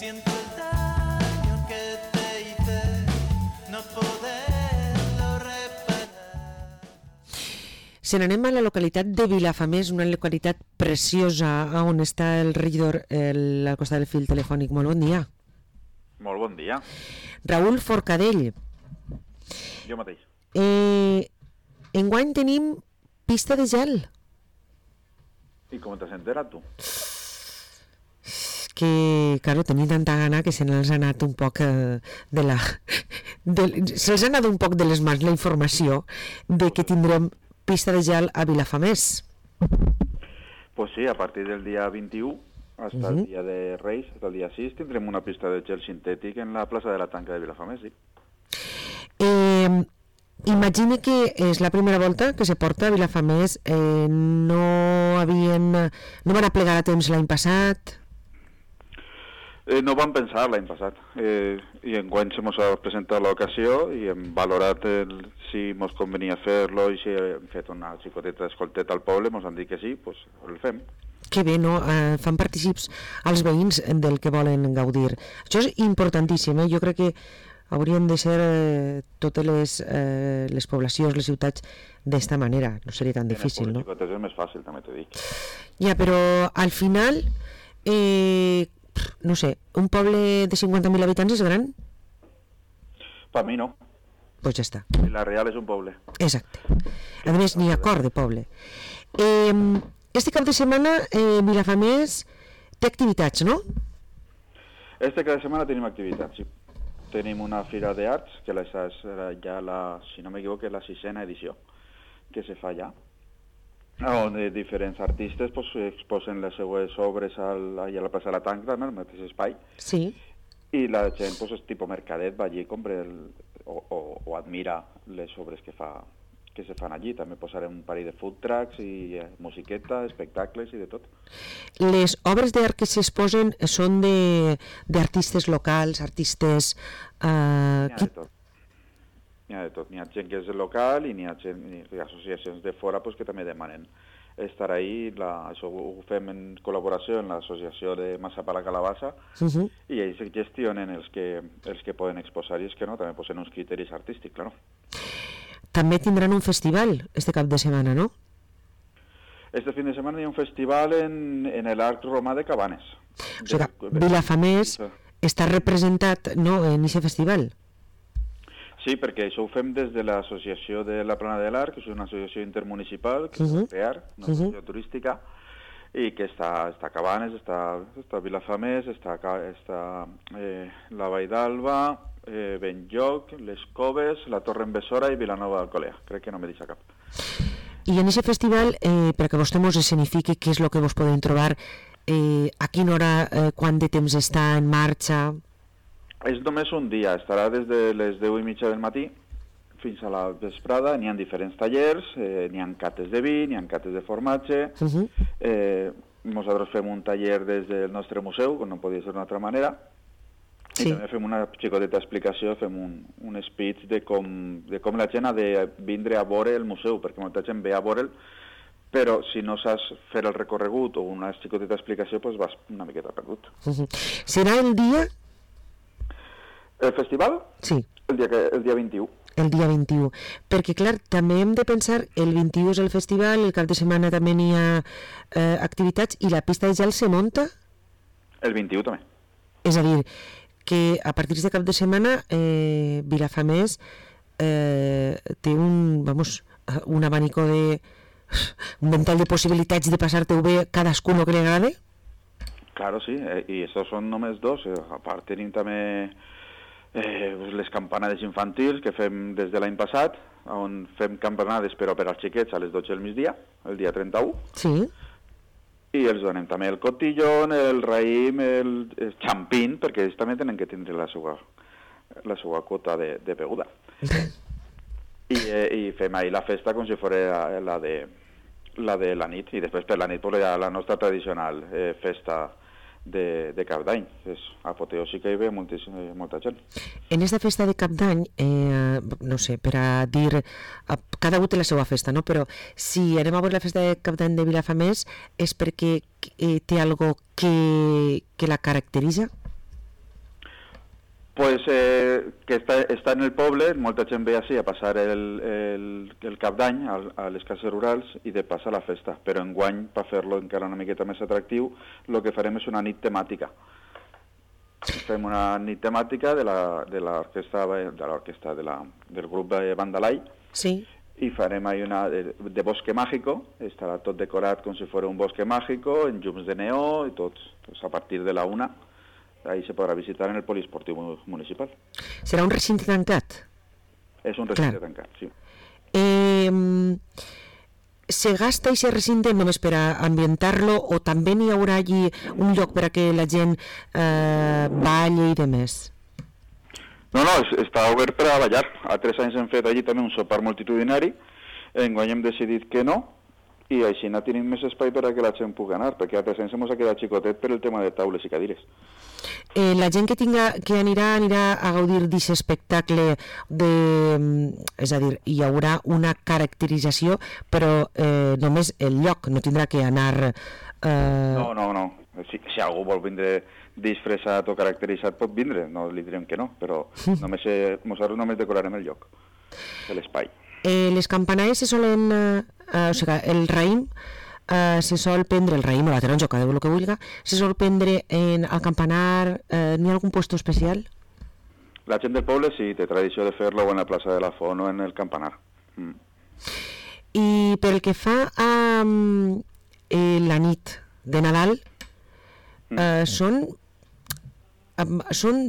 siento el daño que te hice, no poderlo reparar. Se n'anem a la localitat de Vilafamés, una localitat preciosa on està el regidor al costat del fil telefònic. Molt bon dia. Molt bon dia. Raül Forcadell. Jo mateix. Enguany tenim pista de gel. I com t'has enterat, tu? Que, claro, tenia tanta gana que se n'ha anat un poc se'ls ha anat un poc de les mans la informació de que tindrem pista de gel a Vilafamés. Pues sí, a partir del dia 21 hasta el dia de Reis, hasta el dia 6, tindrem una pista de gel sintètic en la plaça de la Tanca de Vilafamés, sí. Imagine que és la primera volta que se porta a Vilafamés. No van aplegar a temps l'any passat. No vam pensar l'any passat, i enguany se mos ha presentat l'ocasió i hem valorat si mos convenia fer-lo, i si hem fet una xicoteta d'escolteta al poble, mos han dit que sí, doncs el fem. Que bé, no? Fan partícips als veïns del que volen gaudir. Això és importantíssim, Jo crec que haurien de ser totes les poblacions, les ciutats, d'esta manera. No seria tan difícil, no? En els pobles xicotes és més fàcil, també t'ho dic. Ja, però al final... no sé, un poble de 50.000 habitants és gran? Per mi no. Pues ja està. La Real és un poble. Exacte. A més, n'hi ha cor de poble. Este cap de setmana Vilafamés té activitats, no? Este cap de setmana tenim activitats, sí. Tenim una fira d'arts, que és ja si no m'equivoco, la 6ª edició que se fa ja, on diferents artistes exposen les seues obres allà a la plaça de la Tanca, al mateix espai. Sí. I la gent, és tipus mercadet, va allí, compra o admira les obres que se fan allí. També posarem un parell de food trucks i musiqueta, espectacles i de tot. Les obres d'art que s'exposen són d'artistes locals, artistes... N'hi ha de tot. N'hi ha de tot. N'hi ha gent que és local i n'hi ha associacions de fora que també demanen estar ahí. Això ho fem en col·laboració amb l'associació de Massapà la Calabassa, i ells gestionen els que poden exposar, i és que no, també posen uns criteris artístics, claro. També tindran un festival este cap de setmana, no? Este fin de setmana hi ha un festival en l'Arc Romà de Cabanes. O sigui, Vilafamés està representat, no, en aquest festival? Sí, perquè això ho fem des de l'associació de la Plana de l'Arc, que és una associació intermunicipal que es va crear, una associació turística, i que està a Cabanes, està Vilafamés, està la Vall d'Alba, Benlloc, les Coves, la Torre en Besora i Vilanova d'Alcolea. Crec que no me deixa cap. I en aquest festival, perquè vostè ens escenifiqui què és el que vos podem trobar, a quina hora, quant de temps està en marxa? És només un dia, estarà des de les 10:30 del matí fins a la vesprada. N'hi ha diferents tallers, n'hi ha cates de vi, n'hi ha cates de formatge. Nosaltres fem un taller des del nostre museu, com no podia ser d'una altra manera, i també fem una xicoteta explicació, fem un speech de com la gent ha de vindre a veure el museu, perquè molta gent ve a veure'l, però si no saps fer el recorregut o una xicoteta explicació, doncs vas una miqueta perdut. Serà el dia... El festival? Sí. El dia 21. El dia 21. Perquè, clar, també hem de pensar, el 21 és el festival, el cap de setmana també n'hi ha activitats, i la pista de gel se munta? El 21 també. És a dir, que a partir de cap de setmana Vilafamés té un abanico un ventall de possibilitats de passar-te-ho bé cadascú el que li agrada? Claro, sí, i això són només dos. A part tenim també les campanades infantils que fem des de l'any passat, on fem campanades però per als xiquets a les 12 del migdia, el dia 31. Sí. I els donem també el cotillón, el raïm, el xampín, perquè ells també tenen que tindre la seva quota de beguda. I fem ahir la festa com si fos la de la nit, i després per la nit hi ha la nostra tradicional festa de Cap d'Any. És apoteòsica i ve molta gent. En aquesta festa de Cap d'Any, no sé, per a dir, cada un té la seva festa, no? Però si anem a veure la festa de Cap d'Any de Vilafamés és perquè té algo que la caracteritza? Pues que està en el poble, molta gent ve així a passar el cap d'any a les cases rurals i de passar la festa, però enguany, per fer-lo encara una miqueta més atractiu, el que farem és una nit temàtica. Fem una nit temàtica del grup de Bandalai, Sí. i farem ahí una de bosque mágico, estarà tot decorat com si fos un bosque mágico, en llums de neó i tot, pues a partir de la 1, ahí se podrà visitar en el poliesportiu municipal. Serà un recinte tancat? És un recinte tancat, sí. Se gasta aquest recinte només per a ambientar-lo o també n'hi haurà allí un lloc per a que la gent balli i demés? No, està obert per a ballar. A 3 anys hem fet allí també un sopar multitudinari, enguany hem decidit que no, i així no tenim més espai per a que la gent pugui anar, perquè a 3 anys ens ha quedat xicotet per el tema de taules i cadires. La gent que anirà a gaudir d'aquest espectacle, és a dir, hi haurà una caracterització, però només el lloc, no tindrà que anar... No. Si algú vol vindre disfressat o caracteritzat pot vindre, no li direm que no, però nosaltres només decorarem el lloc, l'espai. Les campanades se solen... o sigui, el raïm se sol prendre, el raïm o la taronja, cada el que vulgui, se sol prendre al campanar, n'hi ha algun puesto especial? La gent del poble sí, té tradició de fer-lo en la plaça de la Font o en el campanar. I pel que fa a la nit de Nadal, són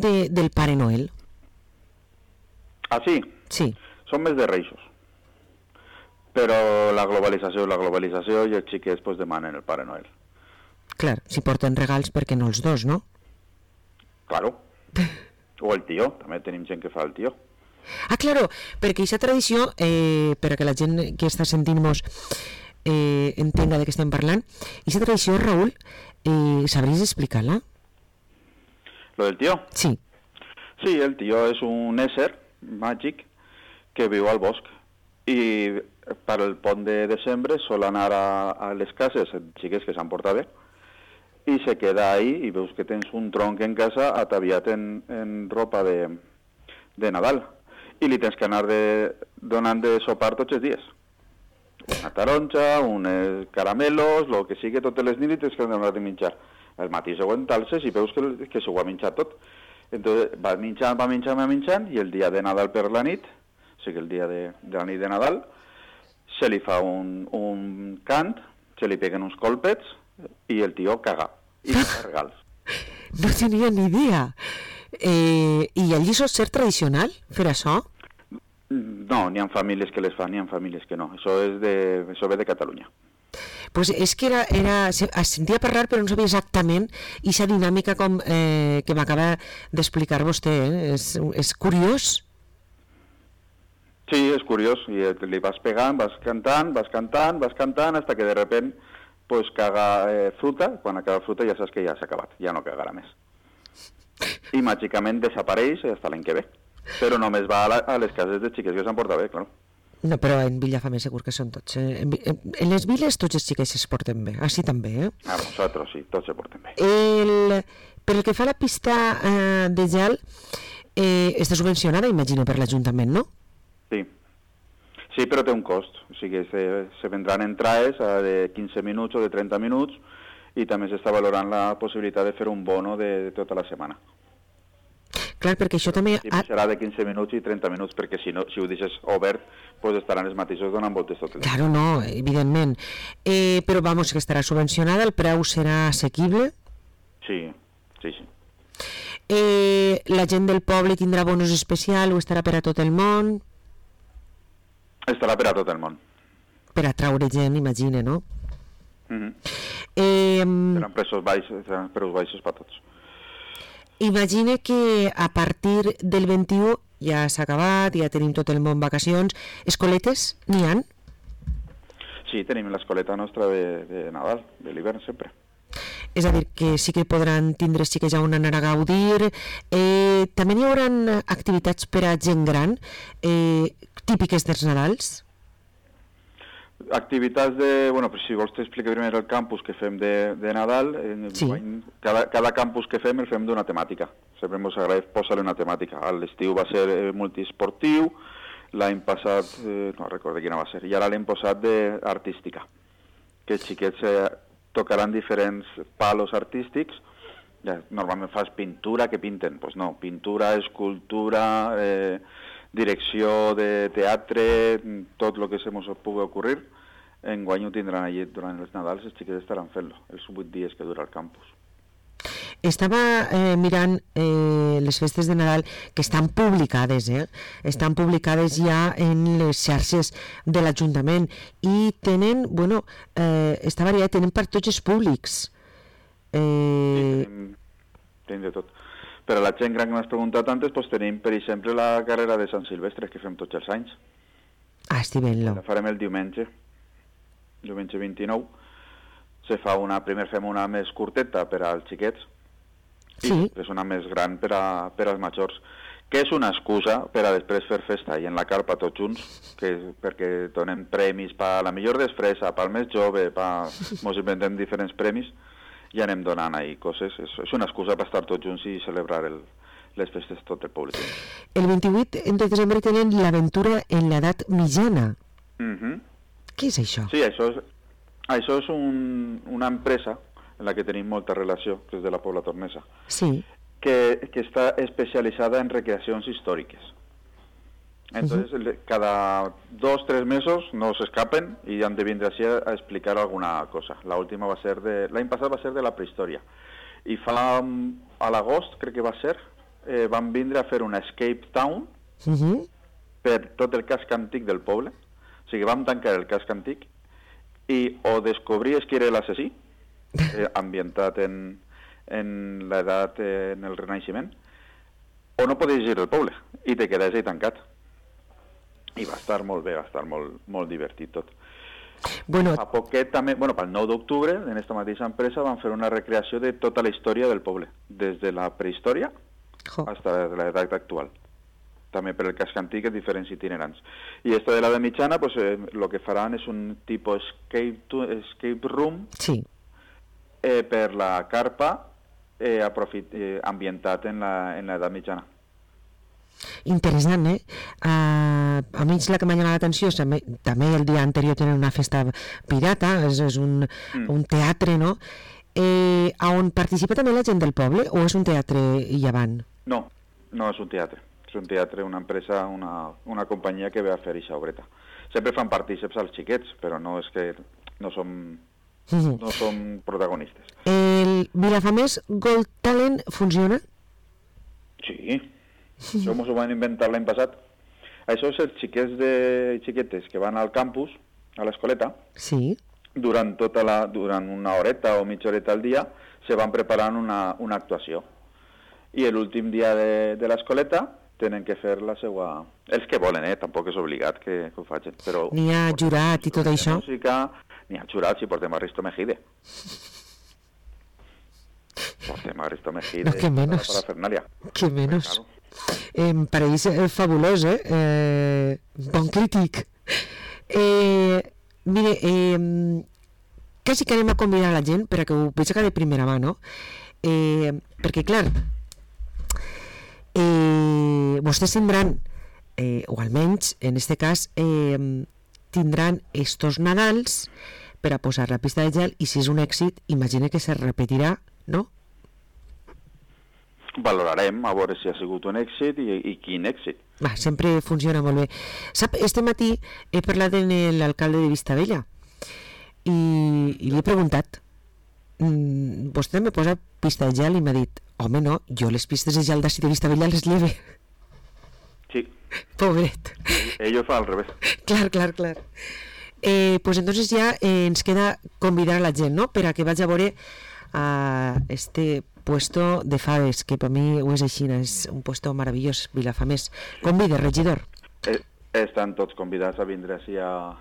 del Pare Noel. Ah, sí? Sí. Són més de Reixos. Però la globalització i els xiquets pues, demanen el Pare Noel. Clar, si porten regals, perquè no els dos, no? Claro. O el tio, també tenim gent que fa el tio. Ah, claro, perquè aquesta tradició, per a que la gent que està sentint-nos entenga de què estem parlant, aquesta tradició, Raül, sabries explicar-la? Lo del tio? Sí. Sí, el tio és un ésser màgic que viu al bosc i per el pont de desembre sol anar a les cases xiques que s'han portat bé i se queda ahí i veus que tens un tronc en casa ataviat en ropa de Nadal i li tens que anar donant de sopar tots els dies. Una taronja, uns caramelos, el que sigui, totes les nits tens que donar de menjar. El matí següent t'alces i veus que s'ho ha menjat tot. Entonces va menjant i el dia de Nadal per la nit, o sigui el dia de la nit de Nadal, se li fa un cant, se li peguen uns colpets i el tio caga i fa regals. No tenia ni idea. I allí sol ser tradicional fer això? No, n'hi ha famílies que les fan, n'hi ha famílies que no. Això ve de Catalunya. Pues és que es sentia parlar però no sabia exactament aquesta dinàmica com que m'acaba d'explicar vostè. És curiós. Sí, és curiós. I li vas pegant, vas cantant, hasta que de repent pues, caga fruta. Quan acaba fruta ja saps que ja s'ha acabat, ja no cagarà més. I màgicament desapareix fins l'any que ve. Però només va a les cases de xiques que s'han portat bé, clar. No, però en Villafame segur que són tots. En les viles tots els xiquets es porten bé, així també, A nosaltres sí, tots se porten bé. Pel que fa a la pista de gel, està subvencionada, imagino, per l'Ajuntament, no? Sí. Sí, però té un cost. O sigui, se vendran entrades de 15 minuts o de 30 minuts i també s'està valorant la possibilitat de fer un bono de tota la setmana. Clar, perquè això també... Sí, serà de 15 minuts i 30 minuts, perquè si ho deixes obert, pues estaran els mateixos donant voltes tot el dia. Claro, no, evidentment. Però, vamos, que estarà subvencionada, el preu serà assequible? Sí. La gent del poble tindrà bonus especial o estarà per a tot el món? Estarà per a tot el món. Per atraure gent, imagine, no? Seran preus baixos per tots. Imagine que a partir del 21 ja s'ha acabat, ja tenim tot el món vacacions. Escoletes n'hi ha? Sí, tenim l'escoleta nostra de Nadal, de l'hivern sempre. És a dir, que sí que podran tindre xiques ja on anar a gaudir. També n'hi haurà activitats per a gent gran, típiques dels Nadals? activitats de... Bueno, però si vols t'explico primer el campus que fem de Nadal. Sí. Cada campus que fem el fem d'una temàtica. Sempre ens agrada posar-li una temàtica. A l'estiu va ser multiesportiu, l'any passat, no recordo quina va ser, i ara l'hem posat d'artística, que els xiquets tocaran diferents palos artístics. Ja, normalment fas pintura, que pinten? Doncs no, pintura, escultura, direcció de teatre, tot el que se mos pugui ocorrir. Enguany ho tindran allí durant els Nadals, els xiquets estaran fent-lo, els 8 dies que dura el campus. Estava mirant les festes de Nadal que estan publicades, estan publicades ja en les xarxes de l'Ajuntament i tenen, bueno, està variat, tenen per tots els públics. Sí, tenim de tot. Per a la gent gran que m'has preguntat antes, doncs tenim, per exemple, la carrera de Sant Silvestre, que fem tots els anys. Ah, estic veient-lo. La farem el diumenge 29. Primer fem una més curteta per als xiquets, Sí. i després una més gran per als majors, que és una excusa per a després fer festa i en la carpa tots junts, perquè donem premis per la millor disfressa, pel més jove, mos inventem diferents premis i anem donant ahí coses. És una excusa per estar tots junts i celebrar les festes tot el públic. El 28 de desembre tenen l'aventura en l'edat mitjana. Què és això? Sí, això és una empresa en la que tenim molta relació, que és de la Pobla Tornesa, Sí. que està especialitzada en recreacions històriques. Entonces, cada 2-3 mesos no s'escapen i han de vindre així a explicar alguna cosa. L'any passat va ser de la prehistòria. I a l'agost, crec que va ser, van vindre a fer una escape town per tot el casc antic del poble. O sigui, vam tancar el casc antic i o descobries qui era l'assassí, ambientat en l'edat, en el Renaixement, o no podies ir al poble i te quedaves ahí tancat. I va estar molt bé, va estar molt divertit tot. Bueno, Fa poquet també, pel 9 d'octubre, en aquesta mateixa empresa, van fer una recreació de tota la història del poble, des de la prehistòria fins a l'edat actual. També per el casc antic, diferents itinerants. I esta de l'edat mitjana, pues, lo que faran és un tipus escape room, sí. per la carpa, ambientat en l'edat mitjana. Interessant, a mi la que m'ha llamat l'atenció és també el dia anterior tenen una festa pirata, és un teatre, no? On participa també la gent del poble o és un teatre llevant? No, no és un teatre. És un teatre, una empresa, una companyia que ve a fer aquesta obreta. Sempre fan partíceps als xiquets, però no és que no som protagonistes. El Vilafamés Gold Talent funciona? Sí, això m'ho van inventar l'any passat. Això és els xiquets i xiquetes que van al campus, a l'escoleta, Sí. durant una horeta o mitja horeta al dia, se van preparant una actuació. I l'últim dia de l'escoleta tenen que fer la seva... Els que volen, tampoc és obligat que ho facin. Però N'hi ha jurat i tot això? Música, n'hi ha jurat si portem a Risto Mejide. Portem a Risto Mejide. No, que menos. Para Fernalia. Que menos. Claro. Em pareix fabulós, bon crític. Mire, quasi que anem a convidar a la gent perquè ho veig de primera mà, no? Perquè, clar, vostès tindran, o almenys, en este cas, tindran estos Nadals per a posar la pista de gel i si és un èxit, imagina que se repetirà, no? Valorarem a veure si ha sigut un èxit i quin èxit. Sempre funciona molt bé. Sap, este matí he parlat amb l'alcalde de Vistabella i li he preguntat vostè me posa pista de gel i m'ha dit, home no, jo les pistes de gel d'ací de Vistabella les lleve. Sí. Pobret. Ell ho fa al revés. Clar. Pues entonces ya ens queda convidar a la gent, no?, per a que vagi a veure a este puesto de faves, que per mi ho és així, és un puesto meravellós, Vilafamés. Convide, regidor. Estan tots convidats a vindre així a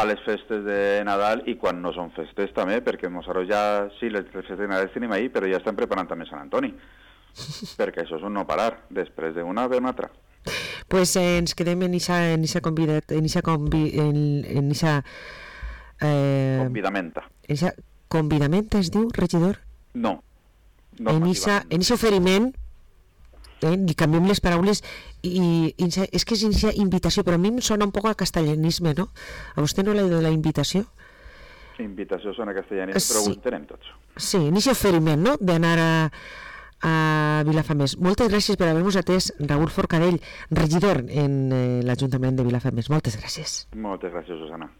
les festes de Nadal i quan no són festes també, perquè nosaltres ja, sí, les festes de Nadal tenim ahí, però ja estem preparant també Sant Antoni, perquè això és un no parar, després d'una ve una altra. Pues ens quedem en eixa convidat, en eixa Convidamenta. Convidamenta es diu, regidor? No. En aquest oferiment, li canviem les paraules, i és que és aquesta invitació, però a mi em sona un poc a castellanisme, no? A vostè no l'ha de la invitació? Invitació sona castellanisme, però ho entenem tots. Sí, en aquest oferiment, no?, d'anar a Vilafamés. Moltes gràcies per haver-nos atès, Raül Forcadell, regidor en l'Ajuntament de Vilafamés. Moltes gràcies. Moltes gràcies, Susana.